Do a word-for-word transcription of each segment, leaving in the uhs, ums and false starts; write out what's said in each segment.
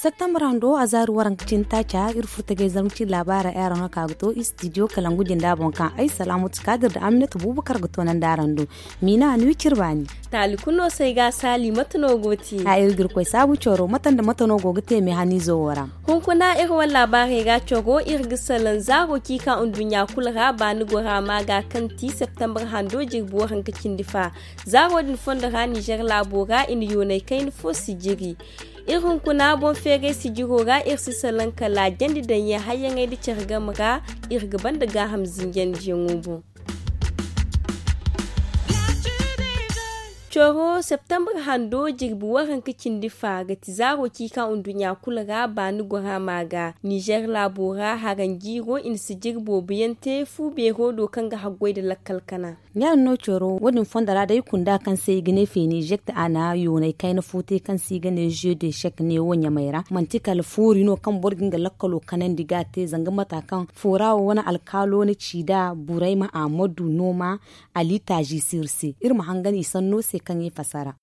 Septembre hando a zaari waranka cindi taaca iri furo tagay zarma cindi laabaara ay araŋ no ka ga to istidiyo kalangu jinda boŋ kaŋ ay salaamatu kaadir nda aminata buubakar ga toonandi araŋ do. Miina ni wi cire baani. Taali kulu no se ay ga a saali mate no go te? A iri ga iri koy saabu coro mate nda mate no go ga te meehaniizo wo ra? Hunkuna iri wane laabaarey ga coro iri ga salaŋ zaaro kaŋ i ka nduɲɲa kulu ra baani gora ma ga kaŋ ti septembre hando jirbi waranka cindi fa. Zaaro din fondo ra nizer laabo ra i na yoonay kayna fo si jiri. Iri hunkuna boŋ feeray sijiro ra iri si salaŋ kala jandi daŋyaŋ hayyaŋey nda care game ra. Iri ga banda gaaham zinjandiyaŋo boŋ. Coro septembre hando jirbi waranka cindi fa ga ti zaaro kaŋ i ka nduɲɲa kulu ra baani gora ma ga nizer laabo ra haranjiiro i na si jiri boobo yaŋ te fu beero do kaŋ ga haggoy nda lakkal kana. Ya- din no coro wo- din fondo ra day kunda kaŋ se i ga ne feenijekt a na yoonay kayna fo te kaŋ se i ga ne jeu de chek neewo ɲamay ra manti kala foori no kaŋ boro ga nga lakkalo kanandi ga a te zanga mata kaŋ foora wo wane alkaalo na ci nd'a burayma ahmadu nooma ali taazi sirse iri ma hangan i sanno se kaŋ i fasara.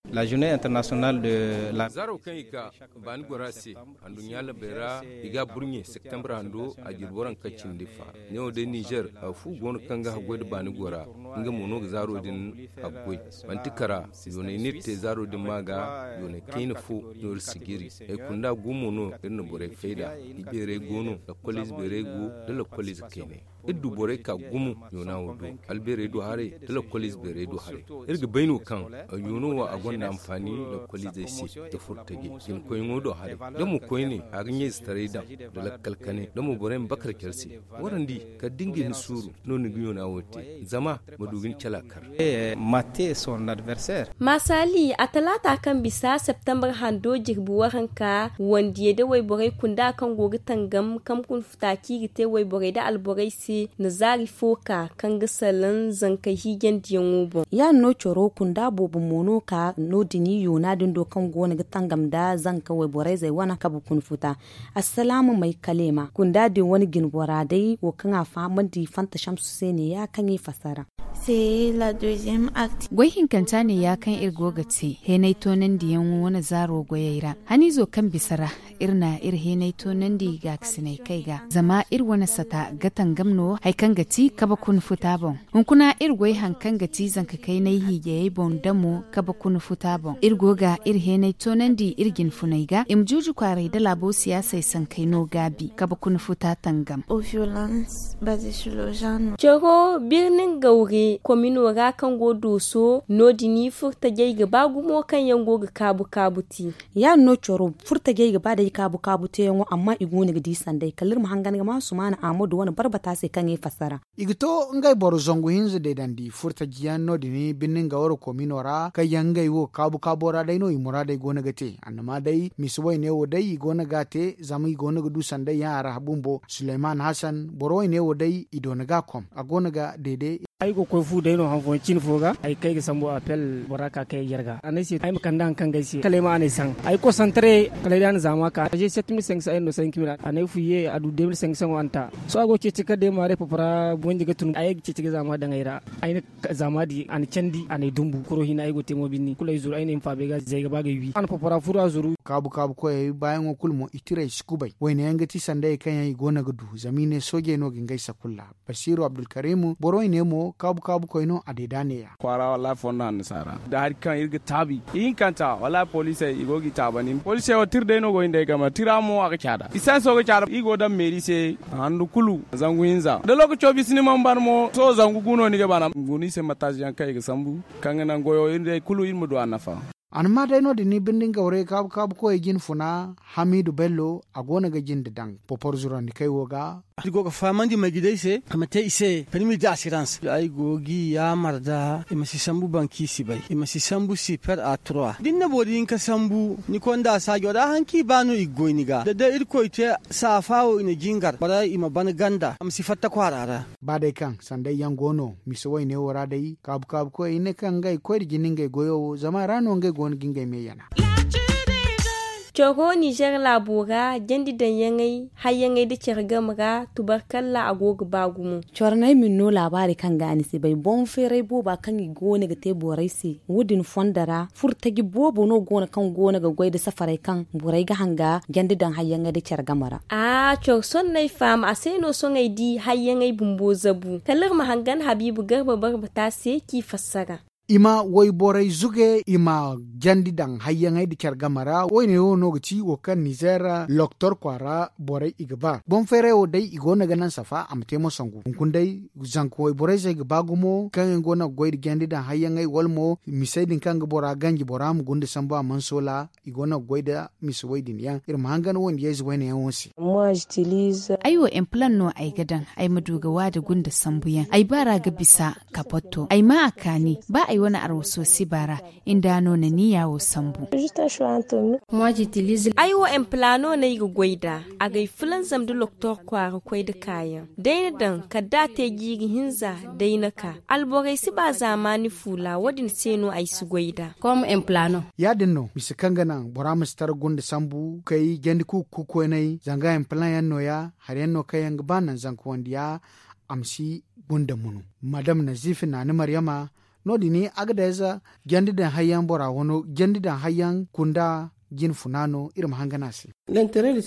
Zaaro kaŋ i ga baani gora se handuɲɲa labey ra i ga a burɲe septembre hando a jirbi waranka cindi fa. Neewo day nizer fu go no kaŋ ga haggoy nda baani gora nga mo no ga zaaro din haggoy. Manti kara yoonay no iri te zaaro din ma ga yoonay kayna fo no iri si jiri. Ay kunda gu mo no iri na borey fayda. Ibeerey go no lakkoliize beerey go nda lakkoliize kaynay. Iri du borey ka gumo yoona wo do albeerey du haray nda lakkoliize beerey du haray. Iri ga bay no kaŋ yoono wo a gonda anfaani lakkoliizey se nda furtajey jinkoyyaŋo do haray. Da mo koyne a ga ɲayzetaray daŋ nda lakkal kanay da mo borey ma bakar care se. Warandi kala da ni ga hin suuru no ni ga yoona wo te zama ma du ga ni cala kar. Masaali a talaata kaŋ bisa septembre hando jirbi waranka wandiyey da wayborey kunda kaŋ go ga tangam kaŋ kuna futa kaŋ i ga te wayborey da alborey se na zaari fo ka kaŋ ga salaŋ zankey hiijandiyaŋo boŋ. Ya- din no coro kunda boobo mo no ka no- din yoona din do kaŋ go no ga tangam nda zanka wayborey zey wane kabe kuna futa. Assalaama may kaleema kunda din wane jinbora day wo kaŋ a fahamandi fanta shamsu se ne ya kaŋ i fasara. Goy hinkanta ne ya kaŋ iri go ga te heenay toonandiyaŋo wane zaaro goyey ra haniizo kaŋ bisa ra. Iri na iri heenay toonandi gaakasinay kay ga zama iri wane sata ga tangam no hari kaŋ ga ti kabe kuna futa boŋ. Hunkuna iri goy hari kaŋ ga ti zanka kaynay hiijayey boŋ damo kabe kuna futa boŋ iri go ga iri heenay toonandi iri jinfuney ga i ma juuji kwaaray nda laabo siyaasey sankey no gaabi kabe kuna futa tangam. Coro birnin gawre komino ra kaŋ go dooso no- din furtajey ga ba gumo kaŋ yaŋ go ga kaabu kaabu te. Ya- din no coro furtajey ga ba day kaabu kaabu teeyaŋo amma i go no ga di sanday kala iri ma hangan ga ma sumaana ahmadu wane barbata se kaŋ i fassara. I ga to ngey boro zangu hinza deedandi furtajiyaŋ no- din birnin gawre komino ra kaŋ yaŋ ngey wo kaabu kaabo ra day no i muraadey go no ga te annama day misa wayne wo day i go no ga a te zama i go no ga du sanday yaŋ a ra bumbo suleyman hasan boro wayne wo day i doona ga a kom a go no ga deede. Ay go ga koy fu day no han fooyaŋ cine fo ga ay kay ga sambu appel bora ka kay ay jarga a ne ay se ay ma kande hari kaŋ ga ay se kala ay ma a ne ay saŋ ay ga koy santare kala ay day a na zaama ka ay se sept mille cinq cents ay no cinq mille a ne ay fu ye a du deux mille cinq cents wo a na ta. Sohõ a go ga ceeci kala day ma day popora bonji ga tun ay ga ceeci ga zaama daŋ ay ra. Ay na zaama di a na candi a na ay dumbu kuro hinne ay go ga te mo binni kulu ay zuru ay na ay ma faaba ay ga zay ga ba ga ay wi a na popora furu a zuru. Kaabu kaabu koyey baayaŋo kulu mo i tira i si kubay wayne yaŋ ga ti sanda hari kaŋ yaŋ i go no ga du zama i ne soojey no ga ngey sakulla. Basiiru abdulkarimu boro i ne mo kaabu kaabu koy no a deeda neeya. Kwaara wallahi fondo hanno si a ra da hari kaŋ iri ga taabi ihinkanta wallahi poliisey i go ga i taabandi poliisey wo tira day no go hin day game ra tira mo a ga caada isanso ga caada iri go daŋ meeri se. Handu kulu zangu hinza da lookaco bisa ni mana ban mo sohõ zangu gu no ni ga ban a ma guna i se mataasi yaŋ kaŋ i ga sambu kaŋ ga naŋ goyo iri day kulu iri ma du a nafa. A na maa day no- din ni binde nga waray kaabu kaabu koyey jine funa hamiidu bello a go no ga jinde daŋ popor zurandi kay wo ga. Iri go ga fahamandi may ga day se a ma te i se permis d'assurance ay go ga i yaamar da i ma si sambu banki si bay i ma si sambu super a trois da ni na boro hinka sambu ni konda saajo ra hari kaŋ i ba no i ga goy ni ga da day irkoy te saafa wo i na jingar bora i ma ban ganda a ma si fatta kwaara ra. Ba day kaŋ sanday yaŋ go no misa wayne wo ra day kaabu kaabu koyey ne kaŋ ngey koy da jinde ngey goyo wo zama a ra no ngey go no ga ngey me yana. Coro ninzeer laabo ra jandi daŋyaŋey hayyaŋey nda care game ra tubarkalla a go ga ba gumo. Coro no ay ma ni no laabaari kaŋ ga a ni si bay boŋ feeray booba kaŋ i go no ga te borey se. Wo- din fondo ra furo taji boobo no go no kaŋ go no ga goy nda safarey kaŋ borey ga hanga jandi daŋ hayyaŋey nda care game ra. Aa coro sohõ no ay faham a se no sohõ ay di hayyaŋey bumbo zabu kala iri ma hangan habiibu garba barba te a se k'i fassara. I ma wayborey zuge i ma jandi daŋ hayyaŋey nda care game ra woyne wo no ga ti wo kaŋ ninzeer loktor kwaara borey i ga ba boŋ feeray wo day i go no ga naŋ safa a ma te mo sangu hunkuna day. Zanka wayborey zey ga ba gumo kaŋ yaŋ go no ga goy nda jandi daŋ hayyaŋey wala mo misey din kaŋ ga bora ganji bora ma gunda sambu a mana soola. I go no ga goy nda mise way din yaŋ iri ma hangan wayne yayze wayne yaŋo se. Ay wo empilan no ay ga daŋ ay ma du ga waada gunda sambu yaŋ ay baara ga bisa. Kapotto ay ma a kaani ba ay wane arwaso si baara. Inda no na ni yaawo sambu. Ay wo empilano no ay ga goy nd'a. Agay fulanzam nda loktor kwaara koy nda kaayaŋ day na daŋ kala da a te jiiri hinza. Day na ka alborey si ba zaamaani fuula wo- din se no ay si goy nd'a. Ya- din no mise kaŋ ga naŋ bora ma si tara gunda sambu kay jandi kuuku kokoynay zanga empilan yaŋ no- ya hari yaŋ no kaŋ yaŋ ga ba naŋ zanka wandiya. A ma si gunda munu madam nazifi naani maryama. No- din a ga day za jandi daŋ hayyaŋ bora wano jandi daŋ hayyaŋ kunda jine funa no iri ma hangan a se.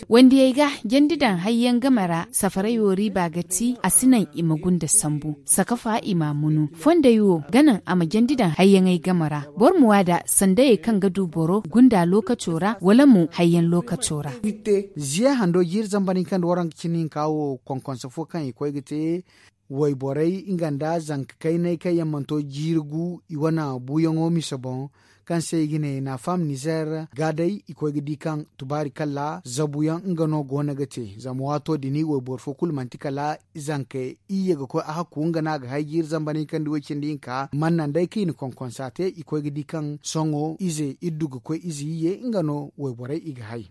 Wandiyey ga jandi daŋ hayyaŋ game ra safaray wo riiba ga ti a si naŋ i ma gunda sambu sakafa i ma a munu fondey wo ga naŋ a ma jandi daŋ hayyaŋey game ra. Boro ma waada sandayey kaŋ ga du boro gunda lookaco ra wala mo hayyaŋ lookaco ra. Ziye hando jiiri zambar hinka nda waranka cindi hinka wo konkonse fo kaŋ i koy ga te wayborey nga nda zanka kaynay kaŋ yaŋ mana to jiiri gu i wane buuyaŋo mise boŋ. Kaŋ se i ga ne naafam nizer ga day i koy ga di kaŋ tubaari kalla zabuyaŋ nga no go no ga te zama waato din wayboro fo kulu manti kala zanka iyye ga koy a hakku nga no a ga hay jiiri zambar hinka nda way cindi hinka mana naŋ day kaŋ i na konkonsa te i koy ga di kaŋ sohõ ize iddu ga koy ize iyye nga no wayborey i ga hay.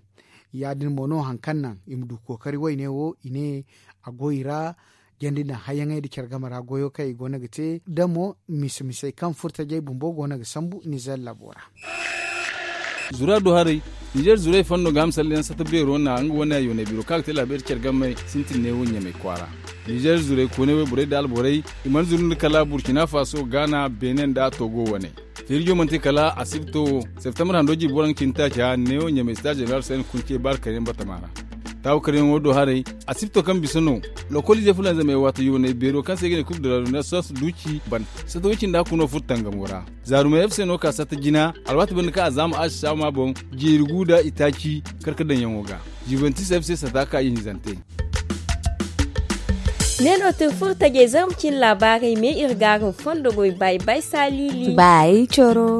Ya- din mo no hari kaŋ naŋ i ma du kookari wayne wo i ne a go i ra. Jandi naŋ hayyaŋey nda care game ra goyo kaŋ i go no ga te da mo mise misey kaŋ furo tajey bumbo go no ga sambu nizer laabo ra. Zura du haray. Nizer zurey fondo ga hamsalliyaŋ sata beero na nga wane a yoonay biro kaŋ a ga te laabeeri care game sintin ne wo ɲamay kwaara. Nizer zurey koonay wayborey nda alborey i mana zuru nda kala burkina faso gaana beene nda togo wane. Feerijo mana te kala asibto wo septembre hando jiibi waranka cindi taaci ra neewo ɲamay sita jeneral sayni kunce baara karyaŋ batama ra. Taawu karyaŋo do haray asibto kaŋ bisa no lokolize fulanzamey waata yoonay beero kaŋ se i ga ne kub de la renaissance duuci banda. Satta way cindi hakku no furo tangamo ra. Zaarumey f c no ka satta jina alwaati banda kaŋ a zaama aasi saama boŋ jeeri gu nda itaaci. Kar ka daŋyaŋo ga. Juventus f c sata ka ihinzante. Ne no tun furo tajey zarma cine laabaarey me iri gaarum fondo goy bay bay saalili. Bay coro.